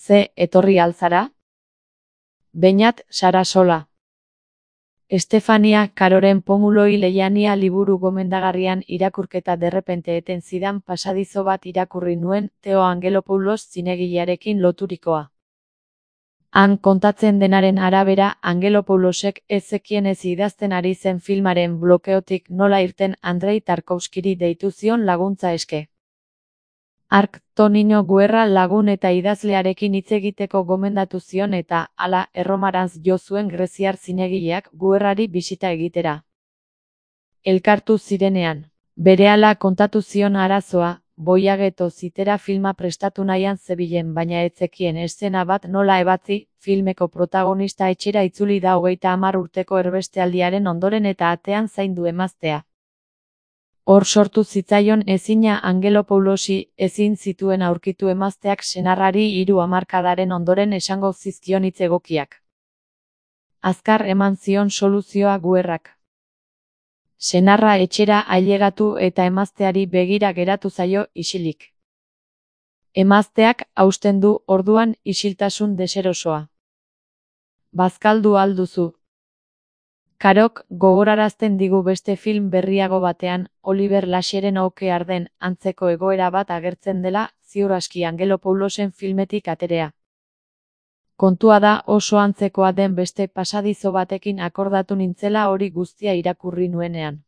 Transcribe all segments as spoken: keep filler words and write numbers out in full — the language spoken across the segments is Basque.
Ze etorri alzara? Beñat Sarasola. Estefania Caroren Pomuloi Leiania liburu gomendagarrian irakurketa derrepente eten zidan pasadizo bat irakurri nuen Teo Angelopoulos zinegilearekin loturikoa. Han kontatzen denaren arabera Angelopoulosek ez zekien ez idazten ari zen filmaren blokeotik nola irten Andrei Tarkovskiri deitu zion laguntza eske. Hark Tonino Guerra lagun eta idazlearekin hitz egiteko gomendatu zion eta, hala, Erromarantz jo zuen greziar zinegileak Guerrari bisita egitera. Elkartu zirenean, berehala kontatu zion arazoa, Boiageto zitera filma prestatu nahian zebilen baina ez zekien eszena bat nola ebatzi, filmeko protagonista etxera itzuli da hogeita hamar urteko erbestealdiaren ondoren eta atean zaindu emaztea. Hor sortu zitzaion ezina Angelopoulosi ezin zituen aurkitu emazteak senarrari hiru hamarkadaren ondoren esango zizkion hitz egokiak. Azkar eman zion soluzioa Guerrak. Senarra etxera ailegatu eta emazteari begira geratu zaio isilik. Emazteak hausten du orduan isiltasun deserosoa. Bazkaldu alduzu. Karok gogorarazten digu beste film berriago batean, Oliver Lasheren Oke Arden antzeko egoera bat agertzen dela, ziur aski Angelopoulosen filmetik aterea. Kontua da oso antzekoa den beste pasadizo batekin akordatu nintzela hori guztia irakurri nuenean.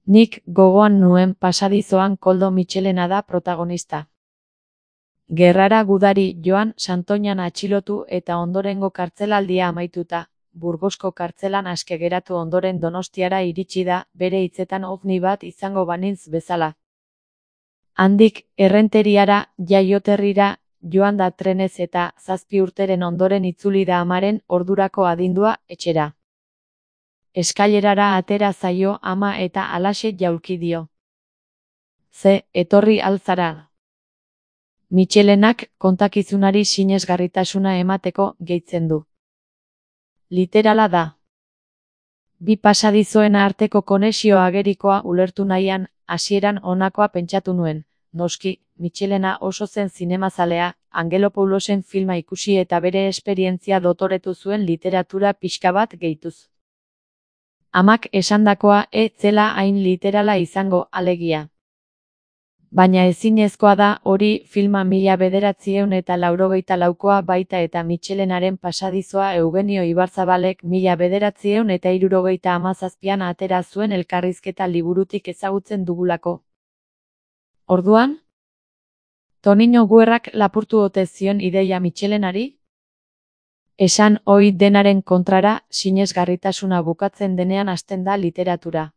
Nik gogoan nuen pasadizoan Koldo Mitxelena da protagonista. Gerrara gudari joan Santoñan atxilotu eta ondorengo kartzelaldia amaituta, Burgosko kartzelan aske geratu ondoren Donostiara iritsi da, bere hitzetan ovni bat izango banintz bezala. Handik, Errenteriara, jaioterrira, joan da trenez eta zazpi urteren ondoren itzuli da amaren ordurako adindua etxera. Eskailerara atera zaio ama eta halaxe jaulki dio. Ze etorri alzara. Mitxelenak kontakizunari sinesgarritasuna emateko gehitzen du. Literala da. Bi pasadizoen arteko konexio agerikoa ulertu nahian, hasieran honakoa pentsatu nuen, noski, Mitxelena oso zen zinemazalea, Angelopoulosen filma ikusi eta bere esperientzia dotoretu zuen literatura pixka bat gehituz. Amak esandakoa ez zela hain literala izango alegia. Baina ezinezkoa da hori filma mila bederatziehun eta laurogeita laukoa baita eta Mitxelenaren pasadizoa Eugenio Ibarzabalek mila bederatziehun eta hirurogeita hamazazpian atera zuen elkarrizketa liburutik ezagutzen dugulako. Orduan? Tonino Guerrak lapurtu ote zion ideia Mitxelenari? Esan ohi denaren kontrara, sinesgarritasuna bukatzen denean hasten da literatura.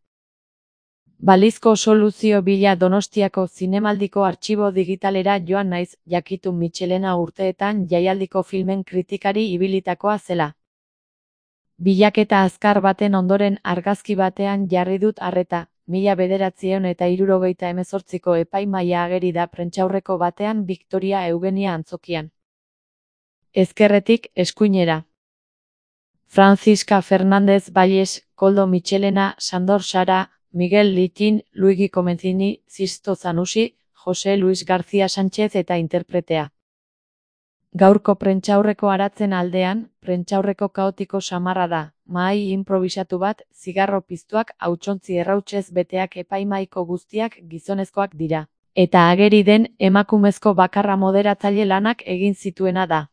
Balizko soluzio bila Donostiako zinemaldiko artxibo digitalera joan naiz, jakitun Mitxelena urteetan jaialdiko filmen kritikari ibilitakoa zela. Bilaketa azkar baten ondoren argazki batean jarri dut arreta, mila bederatziehun eta hirurogeita hemezortziko epaimahaia ageri da prentsaurreko batean Victoria Eugenia antzokian. Ezkerretik eskuinera. Francisca Fernández Valles, Koldo Mitxelena, Sandor Sara, Miguel Litin, Luigi Comencini, Sisto Zanussi, Jose Luis García Sánchez eta interpretea. Gaurko prentsaurreko aratzen aldean, prentsaurreko kaotiko samarra da, mahai improvisatu bat, zigarro piztuak hautsontzi errautsez beteak epaimahaiko guztiak gizonezkoak dira. Eta ageri den emakumezko bakarra moderatzaile lanak egin zituena da.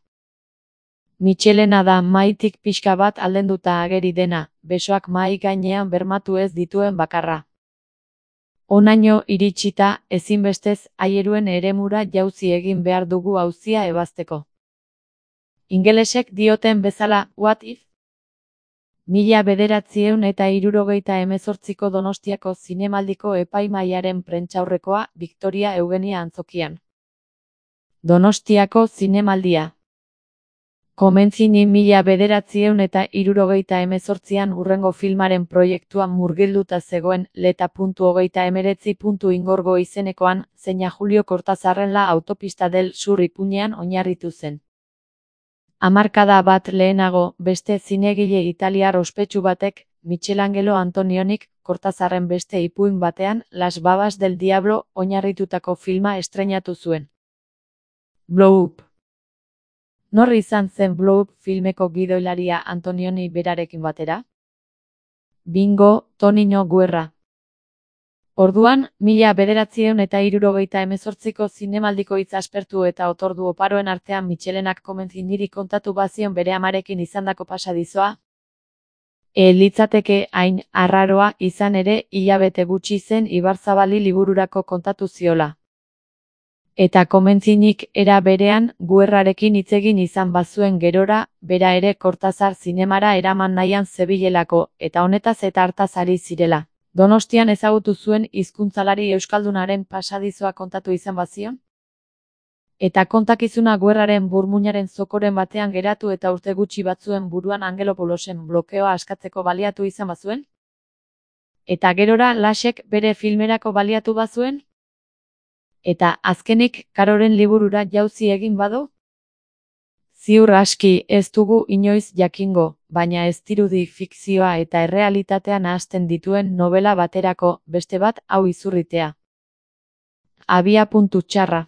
Mitxelena da mahaitik pixka bat aldenduta ageri dena, besoak mahai gainean bermatu ez dituen bakarra. Honaino iritsita, ezinbestez, aieruen eremura jauzi egin behar dugu auzia ebazteko. Ingelesek dioten bezala, what if? Mila bederatziehun eta hirurogeita hemezortziko Donostiako zinemaldiko epaimahaiaren prentsaurrekoa, Victoria Eugenia antzokian. Donostiako zinemaldia. Comencini mila bederatziehun eta hirurogeita hemezortzian hurrengo filmaren proiektuan murgilduta zegoen leta puntu hogeita emeretzi puntu ingorgo izenekoan, zeina Julio Cortazarren La autopista del Sur ipuinean oinarritu zen. Hamarkada bat lehenago, beste zinegile italiar ospetsu batek, Michelangelo Antonionik, Cortazarren beste ipuin batean, Las babas del diablo oinarritutako filma estreinatu zuen. Blow Up. Nor izan zen Blow Up filmeko gidoilaria Antonioni berarekin batera? Bingo, Tonino Guerra. Orduan, mila bederatziehun eta hirurogeita hemezortziko zinemaldiko hitz aspertu eta otordu oparoen artean Michelenak komentzi niri kontatu bazion bere amarekin izandako pasadizoa? E litzateke hain arraroa izan ere hilabete gutxi zen Ibarzabali libururako kontatu ziola. Eta komentzinik era berean Guerrarekin hitzegin izan bazuen gerora, bera ere Kortazar zinemara eraman nahian zebilelako, eta honetaz eta hartaz ari zirela. Donostian ezagutu zuen hizkuntzalari euskaldunaren pasadizoa kontatu izan bazion? Eta kontakizuna Guerraren burmuinaren zokoren batean geratu eta urte gutxi batzuen buruan Angelopoulosen blokeoa askatzeko baliatu izan bazuen? Eta gerora Lasek bere filmerako baliatu bazuen? Eta azkenik Karoren liburura jauzi egin badu? Ziur aski ez dugu inoiz jakingo, baina ez dirudi fikzioa eta errealitatea nahasten dituen nobela baterako beste bat hau izurritea. Abiapuntu txarra.